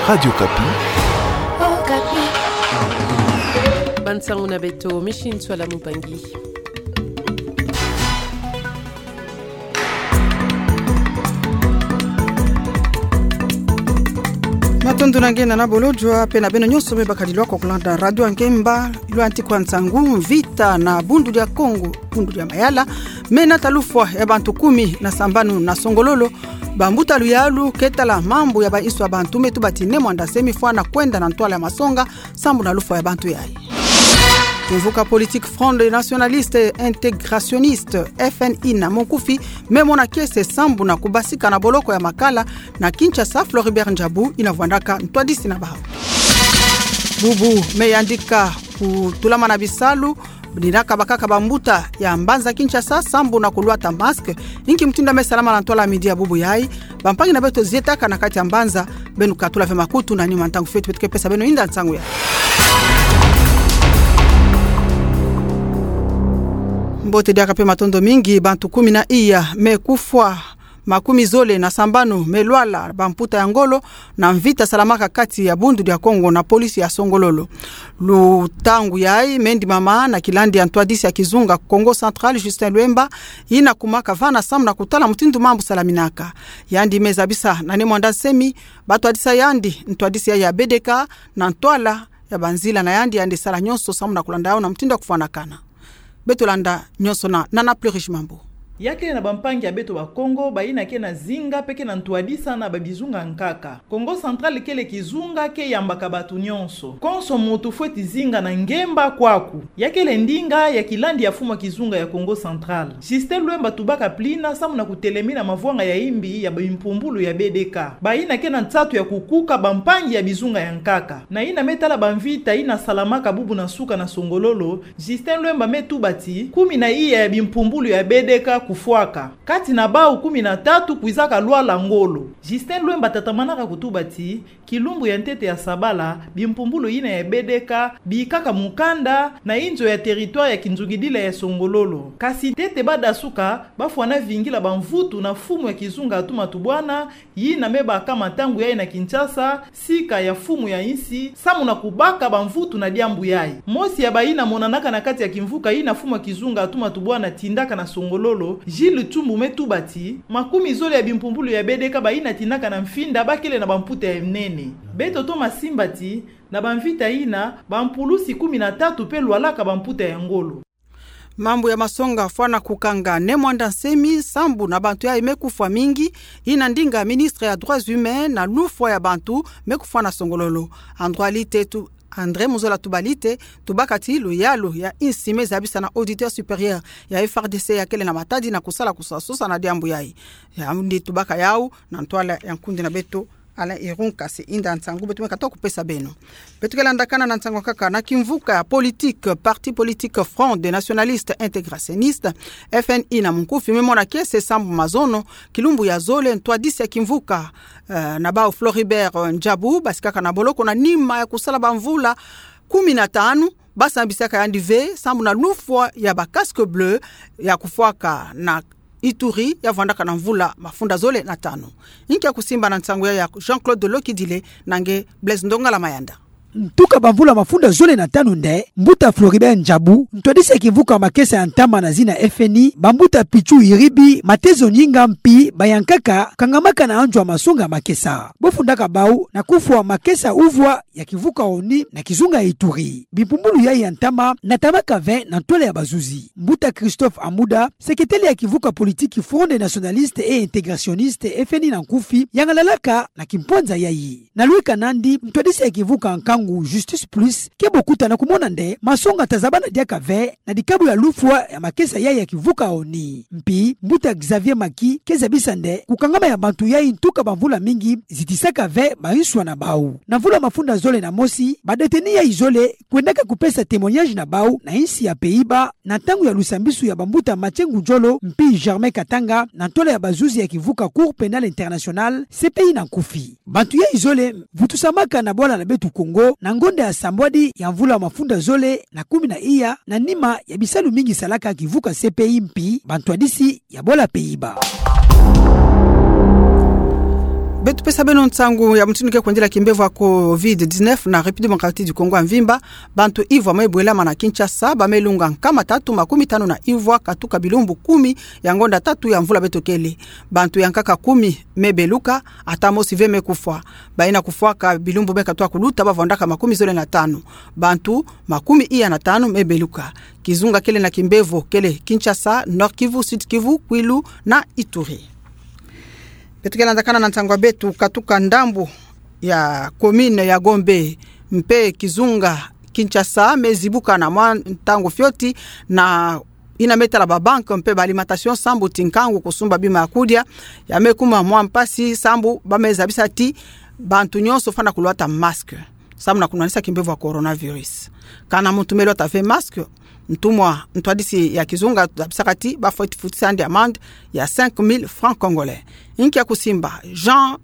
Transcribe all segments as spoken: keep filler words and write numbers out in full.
Radio Okapi. Okapi. Bansangu na beto, Micheline Ntsoila Moubangi. Matondo na nge na bolodjwa pe na beno nyonso me bakadi lwaka kulanda Radio Ngemba, lwanti kwa nsangu. Mvita na Bundu dia Kongo, Bundu dia Mayala, me nata lufwa ya bantu kumi na sambanu na Songololo. Bambuta luyalu ke tala mambu ya ba insu ya bantu me tuba ti Ne Muanda Nsemi fwana kwenda na ntwala ya masonga sambu na lufwa ya bantu yayi. Kimvuka politique Front Nationaliste Intégrationniste, F N I na monkufi, me mona kiese sambu na kubasika na boloko ya Makala na Kinshasa, Floribert Ndjabu ina vwandaka ntwadisi na bawu. Bubu me yandika kutulamana bisalu, ni na kabakaka bambuta ya mbanza Kinshasa sambu na kulwata masque, inki mutindu me salama na ntwala midi ya bubu yayi. Bampangi na beto zietaka na kati ya mbanza, beno katula ve makutu na nima ntangu fioti beto ke pesa beno inda nsangu ya. Mbote diaka pe matondo mingi. Bantu kumi na iya me kufwa, makumi zole na sambanu me lwala bamputa ya ngolo na mvita salamaka kati ya Bundu dia Kongo na police ya Songololo. Lutangu yayi me ndimama na kilandi ya ntwadisi ya kizunga Kongo Central, Justin Luemba, ina kumaka vana sambu na kutala mutindu mambu salaminaka. Yandi me zabisa na Ne Muanda Nsemi ba twadisa yandi ntwadisi ya B D K na ntwala ya banzila na yandi, yandi sala nyonso sambu na kulanda yawu na mutindu ya kufwanakana. Beto landa nyonso na Nana Plurish Mambu. Ya kele na bampangi ya beto Bakongo, bayina ke na zinga pe ke na ntwadisa na babizunga nkaka. Kongo Central kele kizunga ke yambaka bantu nyonso. Konso muntu fweti zinga na ngemba kwaku. Ya kele ndinga ya kilandi ya mfumu ya kizunga ya Kongo Central, Justin Luemba, tubaka plina sambu na kutelemina mavwanga ya imbi ya bimpumbulu ya B D K. Bayina ke na nsatu ya kukuka bampangi ya bizunga ya nkaka. Na yina me tala bamvita yina salamaka bubu na nsuka na Songololo, Justin Luemba me tuba ti kumi na iya ya bimpumbulu ya B D K kufwaka. Kati na bawu kumi na tatu kwizaka lwala ngolo. Justin Luemba tatamanaka kutuba ti kilumbu ya ntete ya sabala, bimpumbulu yina ya B D K bikaka mukanda na inzo ya territoire ya kinzungidila ya Songololo. Kasi ntete badasuka, bafwana vingila bamvutu na mfumu ya kizunga Atuma Tubwana, yina me baka matangu yayi na Kinshasa, sika ya mfumu ya insi, sambu na kubaka bamvutu na diambu yayi. Mosi ya bayina monanaka na kati ya kimvuka yina mfumu ya kizunga Atuma Tubwana tindaka na Songololo, Jules Tsumbu, me tuba ti makumi zole ya bimpumbulu ya B D K bayina tindaka na Mfinda bakele na bamputa ya nene. Beto toma simba ti na bamvita yina, bampulusi kumi na tatu pe lwalaka bamputa ya ngolo. Mambu ya masonga fwana kukanga Ne Muanda Nsemi sambu na bantu yayi me kufwa mingi, yina ndinga ministre ya Droits Humains na lufwa ya bantu me kufwa na Songololo. Androalite tu André Muzola Tubalite, tubaka ti luyalu ya insi me zabisa na auditeur supérieur ya F R D C ya kele na matadi na kusala kusasosa na diambu yayi. Yandi tubaka yawu na ntwala ya nkundi na beto Alain Irung, kasi inda nsangu beto me kata kupesa beno. Beto ke landakana na nsangu kaka na kimvuka politique, parti politique Front des Nationalistes Intégrationnistes, F N I na munkufi, me mona kiese sambu mazono, kilumbu ya zole, ntwadisi ya kimvuka, eh, na bawu Floribert, eh, Ndjabu, basikaka na boloko na nima ya kusala bamvula kumi na tanu, basambisaka yandi ve sambu na lufwa ya ba casque bleu ya kufwaka na Ituri ya vwandaka na mvula mafunda zole na tanu. Inki ya kusimba na nsangu yayi ya Jean-Claude Lokidile na nge Blaise Ndongala Mayanda. Ntuka bamvula mafunda zole na tanu nde, mbuta Floribert Ndjabu, ntwadisi ya kimvuka makesa ya ntama na zina F N I, bambuta Pitchou Iribi, Matezo Nyinga mpi bayankaka kangamaka na anjwa masonga makesa. Bo fundaka bawu na kufwa makesa uvwa ya kimvuka ONI na kizunga Ituri. Bimpumbulu yayi ya ntama natamaka ve na ntwala ya bazuzi. Mbuta Christophe Amuda, seketele ya kimvuka politique Front des Nationalistes et Intégrationnistes, F N I na nkufi, yangalalaka na kimpwanza yayi. Na lweka nandi, ntwadisi ya kimvuka nkangu Justice Plus ke bokuta na kumona nde masonga tazabana diaka ve na dikabu ya lufwa ya makesa yayi ya kimvuka ONI. Mpi mbuta Xavier Maki ke zabisa nde kukangama ya bantu yayi ntuka bamvula mingi zitisaka ve mainswa na bawu. Na mvula mafunda zole na mosi, ba détenus yayi zole kwendaka kupesa témoignage na bawu na insi ya Pays-Bas, na ntangu ya lusambisu ya bambuta Mathieu Ngudjolo mpi Germain Katanga na ntwala ya bazuzi ya kimvuka Cour pénale internationale, C P I na nkufi. Bantu yayi zole vutusamaka na bwala na beto Congo na ngonda ya sambwadi ya mvula mafunda zole na kumi na iya, na nima ya bisalu mingi salaka kimvuka C P I mpi bantwadisi ya bwala Pays-Bas. Beto pesa beno nsangu ya mutindu ke kwendila kimbevo ya covid dix-neuf na République Démocratique du Congo ya mvimba. Bantu ivwa me bwelama na Kinshasa, ba me lunga nkama tatu makumi tanu na ivwa katuka bilumbu kumi ya ngonda tatu ya mvula beto kele. Bantu ya nkaka kumi me beluka, ata mosi ve me kufwa. Bayina kufwaka bilumbu me katuka kuluta ba vwandaka makumi zole na tanu. Bantu makumi iya na tanu me beluka. Kizunga kele na kimbevo kele Kinshasa, Nord-Kivu, Sud-Kivu, Kwilu na Ituri. Beto ke landakana na nsangu ya beto, katuka ndambu ya commune ya Gombe mpe kizunga Kinshasa me zibuka na mwa ntangu fioti, na yina me tala ba banque mpe ba alimentation sambu ti nkangu kusumba bima ya kudia ya me kuma mwa mpasi sambu ba me zabisa ti bantu nyonso fwana kulwata masque sambu na kunwanisa kimbevo ya coronavirus. Kana muntu me lwata ve masque, ntumwa ntwadisi ya kizunga zabisaka ti ba fweti futisa yandi amende ya cinq mille francs congolais. Inki ya kusimba? Jean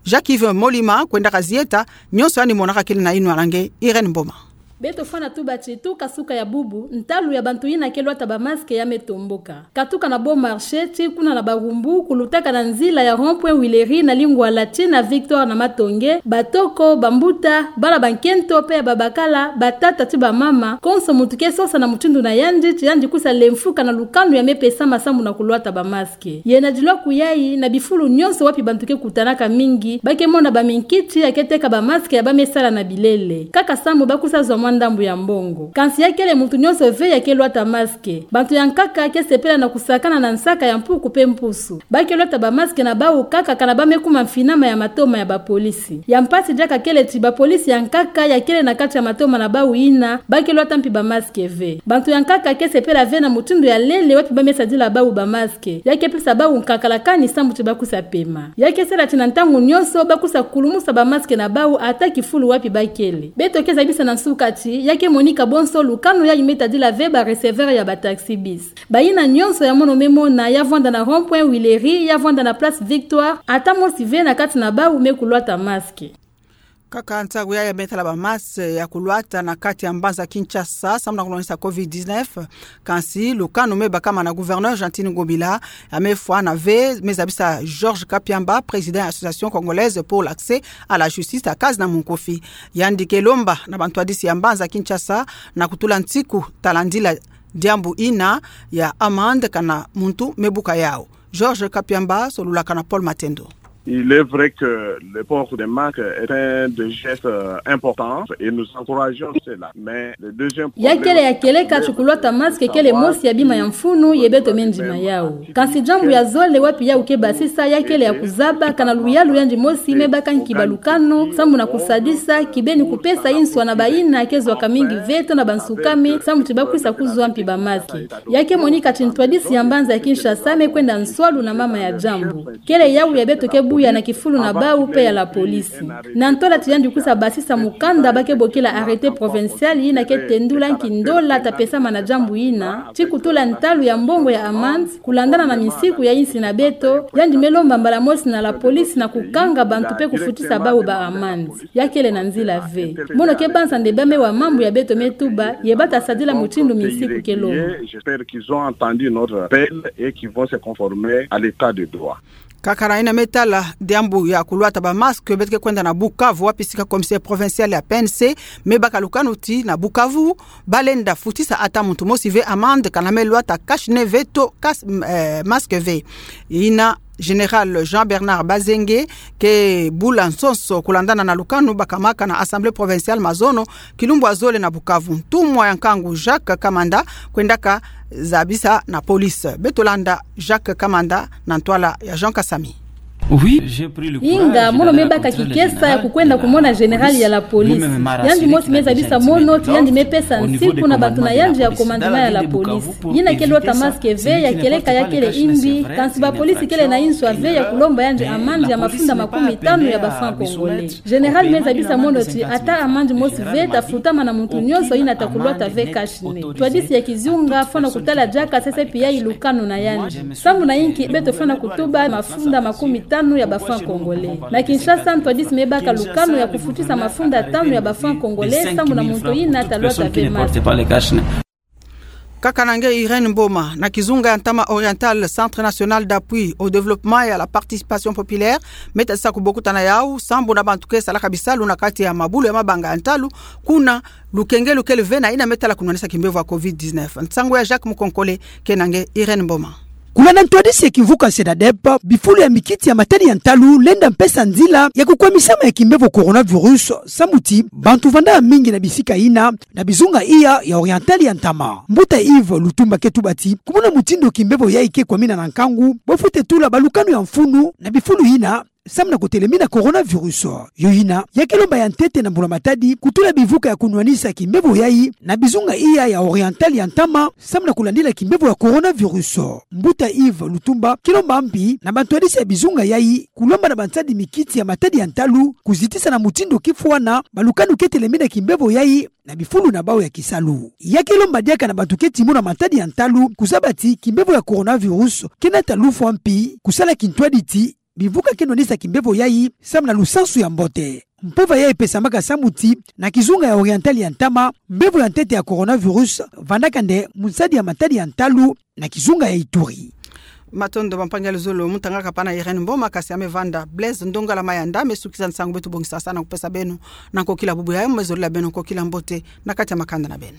Jacques Yves Molima kwendaka zieta, nyonso yandi monaka kele na yinwa na nge Irène Mboma. Beto fwana tuba ti tuka suka ya bubu, ntalu ya bantu yina ke lwata ba masque ya me tomboka. Katuka na Bon Marché, tii kuna na Barumbu, kulutaka na nzila ya rond-point Huilerie na lingwa la tii na Victoire na Matonge, batoko, bambuta, bana ba nkento mpe ya babakala, batata tii bamama, konso muntu ke sosa na mutindu na yandi, ti yandi kwisa lemfuka na lukanu ya me pesama sambu na kulwata ba masque. Yena dilwa kuyayi na bifulu nyonso wapi bantu ke kutanaka mingi, ba ke mona ba minkiti ya ke teka ba masque ya ba me sala na bilele. Kaka sambu ba kwisa zwa mwa ndambu ya mbongo. Kansi ya kele muntu nyonso ve ya ke lwata masque. Bantu ya nkaka ke sepela na kusakana na nsaka ya mpuku mpe mpusu. Ba ke lwata ba masque na bawu kaka kana ba me kuma mfinama ya matoma ya ba polisi. Ya mpasi diaka kele ti ba polisi ya nkaka ya kele na kati ya matoma na bawu yina, ba ke lwata mpi ba masque ve. Bantu ya nkaka ke sepela ve na mutindu ya lele wapi ba me sadila bawu ba masque. Ya ke pesa bawu nkakala kani sambu ti ba kwisa pema. Ya ke sala ti na ntangu nyonso ba kwisa kulumusa ba masque na bawu ata kifulu wapi ba kele. Beto ke zabisa na nsuka ti, ya ke monika bonso lukanu yayi me tadila ve ba receveur ya ba taxi-bis. Bayina nyonso ya mono me mona, ya vwanda na rond-point Huilerie, ya vwanda na Place Victoire, ata mosi ve na kati na bawu me kulwata masque. Kaka ntangu yayi ya me tala ba masque ya kulwata na kati ya mbanza Kinshasa sambu na kunwanisa covid dix-neuf. Kansi lukanu me bakama na gouverneur Gentiny Ngobila ya me fwana ve, me zabisa Georges Kapiamba, président ya Association Congolaise pour l'Accès à la Justice, ACAJ na munkufi. Yandi ke lomba na bantwadisi ya mbanza Kinshasa na kutula nsiku talandila diambu yina ya amende kana muntu me buka yawu. Georges Kapiamba solulaka na Paul Matendo. Il est vrai que le port des masques est un des gestes, euh, importants et nous encourageons cela. Mais le deuxième problème, ya kele ya kieleka ti kulwata masque kele mosi ya bima ya mfunu ye beto me ndima yawu. Kansi diambu ya zole wapi yawu ke basisa ya kele ya kuzaba kana luyalu yandi mosi me baka nki ba lukanu sambu na kusadisa, kibeni kupesa inswa na bayina ke zwaka mingi ve to na bansukame sambu ti ba kwisa kuzwa mpi ba masque. Ya ke monika ti ntwadisi ya mbanza ya Kinshasa me kwenda nswalu na mama ya diambu. Kele yawu ya beto ke buya na kifulu na bawu mpe ya la police. Na ntwala ti yandi kwisa basisa mukanda ba ke bokila arrêté provincial yina ke tendula nki ndola ta pesama na diambu yina, ti kutula ntalu ya mbongo ya amende, kulandana na minsiku ya insi na beto, yandi me lomba mbala mosi na la police na kukanga bantu mpe kufutisa bawu ba amende. Ya kele na nzila ve. Mono ke banza nde ba me wa mambu ya beto me tuba, ye ba ta sadila mutindu minsiku ke lomba. J'espère qu'ils ont entendu notre appel et qu'ils vont se conformer à l'état de droit. Kaka na yina me tala diambu ya kulwata ba masque, beto ke kwenda na Bukavu, wapi sika commissaire provincial ya P N C me baka lukanu ti na Bukavu ba lenda futisa ata muntu mosi ve amende kana me lwata cache-nez ve to kas-, eh, masque ve. Yina Général Jean-Bernard Bazenge ke bula nsonso kulandana na lukanu bakamaka na Assemblée provinciale mazono kilumbu ya zole na Bukavu. Ntumwa ya nkangu Jacques Kamanda kwendaka zabisa na police. Beto landa Jacques Kamanda na ntwala ya Jean Kasami. Inga, mono me baka kikesa ya kukwenda kumona général ya la police. Yandi mosi me zabisa mono ti yandi me pesa nsiku na bantu na yandi ya commandement ya la police. Yina ke lwata masque ve, ya kieleka ya kele imbi, kansi ba police kele na inswa ve ya kulomba yandi amende ya mafunda makumi tanu ya ba francs congolais. Général me zabisa mono ti ata amende mosi ve ta futama na muntu nyonso yina ta kulwata ve cache-nez. Ntwadisi ya kizunga fwana kutala diaka sese pi yayi lukanu na yandi. Sambu na inki beto fwana kutuba mafunda makumi tanu ya ba francs congolais. Na Kinshasa, ntwadisi me baka lukanu ya kufutisa mafunda tanu ya ba francs congolais sambu na muntu yina ta lwata ve masque. Nkaka na nge Irène Mboma. Na kizunga ya ntama Oriental, Centre National d'Appui au Développement et à la Participation Populaire me tadisa kubokutana yau sambu na bantu ke salaka bisalu na kati ya mabulu ya mabanga ya ntalu, kuna lukengelu kele ve na yina me tala kunwanisa kimbevo ya covid dix-neuf. Nsangu ya Jacques Mukonkole, ke na nge Irène Mboma. Kulana ntwadisi ya kimvuka SENADEP, bifulu ya mikiti ya matadi ya ntalu lenda mpesa nzila ya kukwamisama ya kimbevo coronavirus, samu ti bantu vanda mingi na bisika yina na bizunga iya ya Oriental ya ntama. Mbuta Yves Lutumba ke tuba ti, kumona mutindu kimbevo yayi ke kwamina na nkangu, bafwete tula balukanu ya mfunu na bifulu yina samu na kutelemina coronavirus. Yo yina, ya ke lomba ya ntete na mbula matadi kutula bivuka ya kunwanisa kimbevo yayi na bizunga iya ya Oriental ya ntama, samu na kulandila kimbevo ya coronavirus. Mbuta Yves Lutumba ke lomba mbi na bantwadisi ya bizunga yayi kulomba na bansadi mikiti ya matadi ya ntalu kuzitisa na mutindu kifwana balukanu ke telemina kimbevo yayi na bifulu na bau ya kisalu. Ya ke lomba diaka na bantu ke timona matadi ya ntalu kuzaba ti kimbevo ya coronavirus ke nata lufwa mpi, kusala kintwadi ti bivuka ke nwanisa kimbevo yayi samu na lusansu ya mbote. Mpova yayi pesamaka samu ti na kizunga ya Oriental ya ntama, mbevo ya ntete ya coronavirus vandaka nde mu nsadi ya matadi ya ntalu na kizunga ya Ituri. Matondo bampangi ya luzolo, mutangaka pana Irène Mboma, kasi ya me vanda Blaise Ndongala Mayanda me sukisa nsangu beto bongisaka na kupesa beno. Na nkokila bubu yayi, me zolila beno nkokila mbote na kati ya makanda na beno.